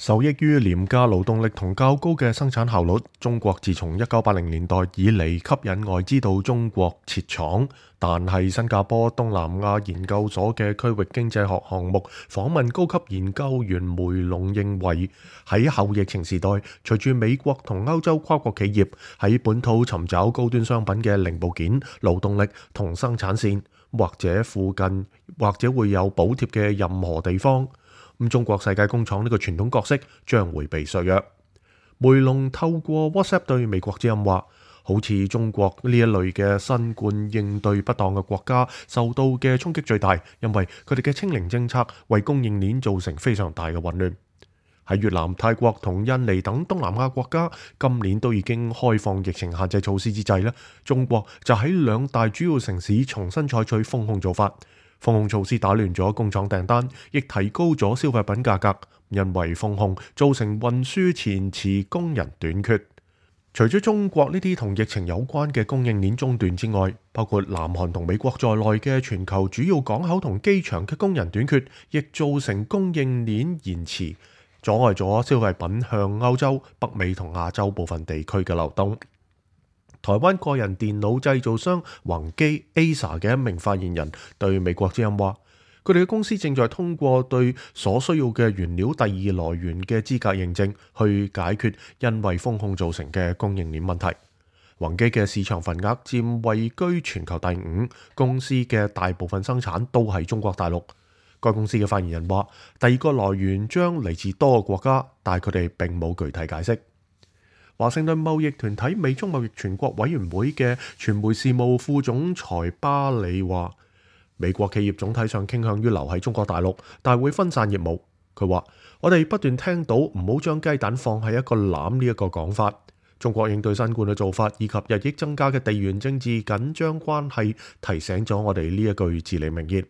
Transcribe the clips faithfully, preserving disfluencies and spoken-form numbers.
受益於廉價勞動力同較高嘅生產效率，中國自從一九八零年代以嚟吸引外資到中國設廠。但係新加坡東南亞研究所嘅區域經濟學項目訪問高級研究員梅龍認為，喺後疫情時代，隨住美國同歐洲跨國企業喺本土尋找高端商品嘅零部件、勞動力同生產線，或者附近或者會有補貼嘅任何地方，咁中國世界工廠呢個傳統角色將會被削弱。梅龍透過 WhatsApp 對美國之音話，好似中國呢一類嘅新冠應對不當嘅國家受到嘅衝擊最大，因為佢哋嘅清零政策為供應鏈造成非常大嘅混亂。喺越南、泰國同印尼等東南亞國家今年都已經開放疫情限制措施之際呢，中國就喺兩大主要城市重新採取封控做法。封控措施打亂咗工廠訂單，亦提高咗消費品價格，因為封控造成運輸延遲、工人短缺。除咗中國呢啲同疫情有關嘅供應鏈中斷之外，包括南韓同美國在內嘅全球主要港口同機場嘅工人短缺，亦造成供應鏈延遲，阻礙咗消費品向歐洲、北美同亞洲部分地區嘅流動。台灣個人電腦製造商宏基 A S A 嘅一名發言人對美國之音話，佢哋嘅公司正在通過對所需要嘅原料第二來源嘅資格認證，去解決因為封控造成嘅供應鏈問題。宏基嘅市場份額佔位居全球第五，公司嘅大部分生產都係中國大陸。該公司嘅發言人話，第二個來源將嚟自多個國家，但係佢哋並冇具體解釋。華盛頓貿易團體美中貿易全國委員會嘅傳媒事務副總裁巴里話，美國企業總體上傾向於留喺中國大陸，但係會分散業務。佢話，我哋不斷聽到唔好將雞蛋放喺一個籃呢一個講法。中國應對新冠嘅做法以及日益增加嘅地緣政治緊張關係，提醒咗我哋呢一句至理名言。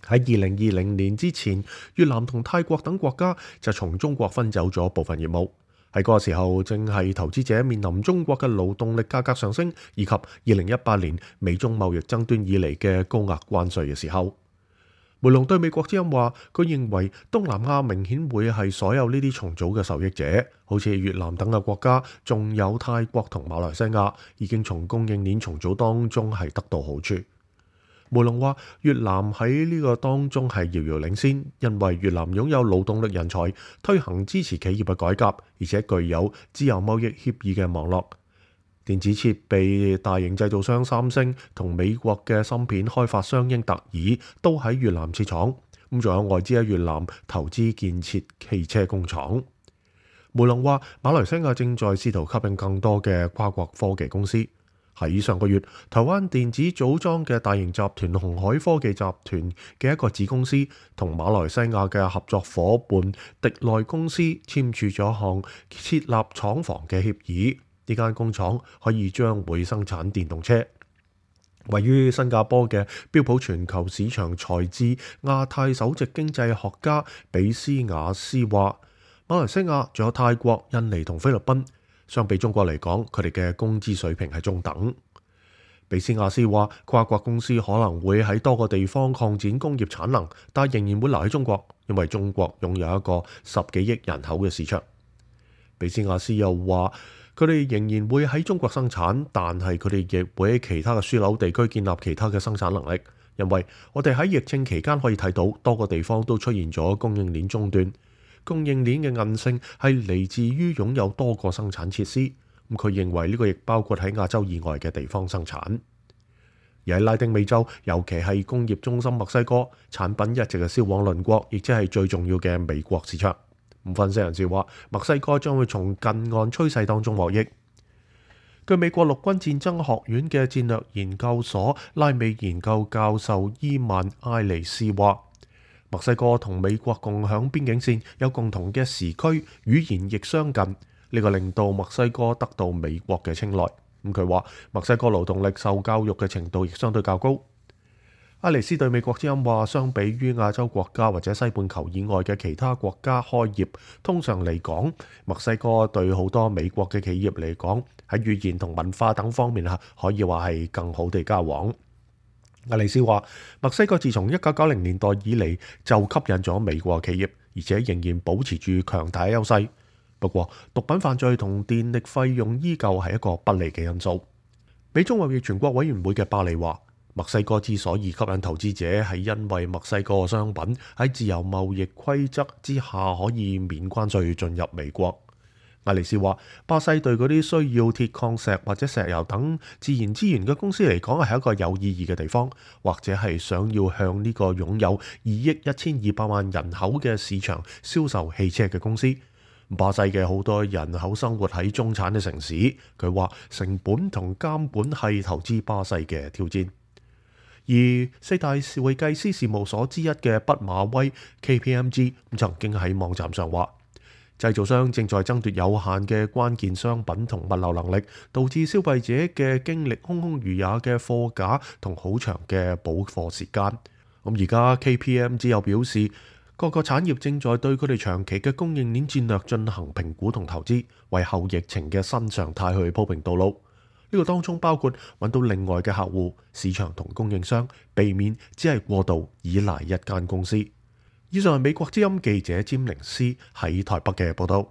喺二零二零年之前，越南同泰國等國家就從中國分走咗部分業務。喺嗰個時候，正係投資者面臨中國嘅勞動力價格上升，以及二零一八年美中貿易爭端以嚟嘅高額關稅嘅時候。梅龍對美國之音話，佢認為東南亞明顯會係所有呢啲重組嘅受益者，好似越南等嘅國家，仲有泰國同馬來西亞，已經從供應鏈重組當中係得到好處。梅龍話，越南喺呢個當中係遙遙領先，因為越南擁有勞動力人才，推行支持企業嘅改革，而且具有自由貿易協議嘅網絡。電子設備大型製造商三星同美國嘅芯片開發商英特爾都喺越南設廠，咁仲有外資喺越南投資建設汽車工廠。梅龍話，馬來西亞正在試圖吸引更多嘅跨國科技公司。喺上個月，台灣電子組裝嘅大型集團鴻海科技集團嘅一個子公司同馬來西亞嘅合作夥伴迪內公司簽署咗項設立廠房嘅協議。呢間工廠可以將會生產電動車。位於新加坡嘅標普全球市場財智亞太首席經濟學家比斯雅斯話，馬來西亞仲有泰國、印尼同菲律賓，相比中國嚟講，佢哋嘅工資水平係中等。比斯亞斯話，跨國公司可能會喺多個地方擴展工業產能，但仍然會留喺中國，因為中國擁有一個十幾億人口嘅市場。比斯亞斯又話，佢哋仍然會喺中國生產，但係佢哋亦會喺其他嘅樞紐地區建立其他嘅生產能力，因為我哋喺疫情期間可以睇到多個地方都出現咗供應鏈中斷。供應鏈嘅韌性係嚟自於擁有多個生產設施，咁佢認為呢個亦包括喺亞洲以外嘅地方生產。而喺拉丁美洲，尤其係工業中心墨西哥，產品一直係銷往鄰國，亦即係最重要嘅美國市場。咁分析人士話，墨西哥將會從近岸趨勢當中獲益。據美國陸軍戰爭學院嘅戰略研究所拉美研究教授伊曼埃尼斯話，墨西哥同美國共享邊境線，有共同嘅時區，語言亦相近，呢個令到墨西哥得到美國嘅青睞。咁佢話，墨西哥勞動力受教育嘅程度亦相對較高。埃尼斯對美國之音話，相比於亞洲國家或者西半球以外嘅其他國家開業，通常嚟講，墨西哥對好多美國嘅企業嚟講，喺語言同文化等方面可以話係更好地交往。埃尼斯話，墨西哥自從一九九零年代以嚟就吸引咗美國企業，而且仍然保持住強大優勢。不過，毒品犯罪同電力費用依舊係一個不利嘅因素。美中貿易全國委員會嘅巴里話，墨西哥之所以吸引投資者，係因為墨西哥商品喺自由貿易規則之下可以免關稅進入美國。艾利斯話，巴西對嗰啲需要鐵礦石或者石油等自然資源嘅公司嚟講係一個有意義嘅地方，或者係想要向呢個擁有二億一千二百萬人口嘅市場銷售汽車嘅公司。巴西嘅好多人口生活喺中產嘅城市，佢話成本同監管係投資巴西嘅挑戰。而四大會計師事務所之一嘅畢馬威 K P M G 曾經喺網站上話，製造商正在爭奪有限嘅關鍵商品同物流能力，導致消費者嘅經歷空空如也嘅貨架同好長嘅補貨時間。咁而家 K P M G 又表示，各個產業正在對佢哋長期嘅供應鏈戰略進行評估同投資，為後疫情嘅新常態去鋪平道路。呢個當中包括揾到另外嘅客戶、市場同供應商，避免只係過度依賴一間公司。以上係美國之音記者詹寧斯喺台北嘅報道。